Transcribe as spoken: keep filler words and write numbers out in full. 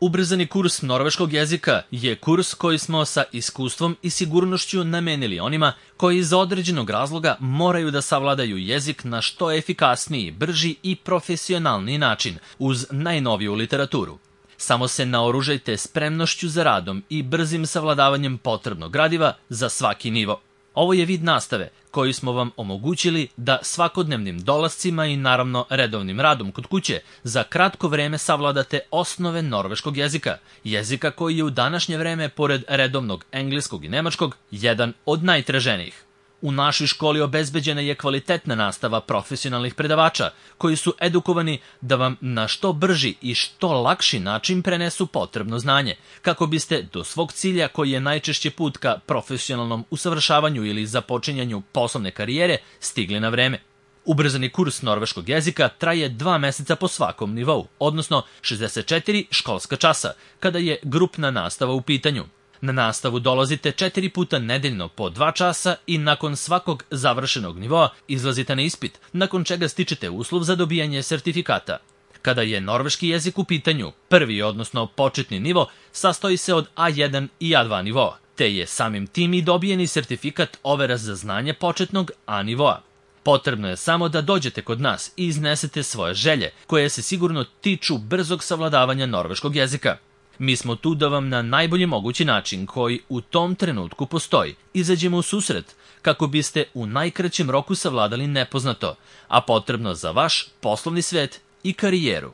Ubrzani kurs norveškog jezika je kurs koji smo sa iskustvom i sigurnošću namenili onima koji iz određenog razloga moraju da savladaju jezik na što efikasniji, brži i profesionalniji način uz najnoviju literaturu. Samo se naoružajte spremnošću za radom i brzim savladavanjem potrebnog gradiva za svaki nivo. Ovo je vid nastave koji smo vam omogućili da svakodnevnim dolascima i naravno redovnim radom kod kuće za kratko vreme savladate osnove norveškog jezika, jezika koji je u današnje vreme, pored redovnog engleskog i nemačkog, jedan od najtraženijih. U našoj školi obezbeđena je kvalitetna nastava profesionalnih predavača koji su edukovani da vam na što brži i što lakši način prenesu potrebno znanje, kako biste do svog cilja, koji je najčešće put ka profesionalnom usavršavanju ili započinjanju poslovne karijere, stigli na vreme. Ubrzani kurs norveškog jezika traje dva meseca po svakom nivou, odnosno šezdeset četiri školska časa, kada je grupna nastava u pitanju. Na nastavu dolazite četiri puta nedeljno po dva časa i nakon svakog završenog nivoa izlazite na ispit, nakon čega stičete uslov za dobijanje sertifikata. Kada je norveški jezik u pitanju, prvi, odnosno početni nivo, sastoji se od A jedan i A dva nivoa, te je samim tim i dobijeni sertifikat overa za znanje početnog A nivoa. Potrebno je samo da dođete kod nas i iznesete svoje želje, koje se sigurno tiču brzog savladavanja norveškog jezika. Mi smo tu da vam na najbolji mogući način, koji u tom trenutku postoji, izađemo u susret kako biste u najkraćem roku savladali nepoznato, a potrebno za vaš poslovni svet i karijeru.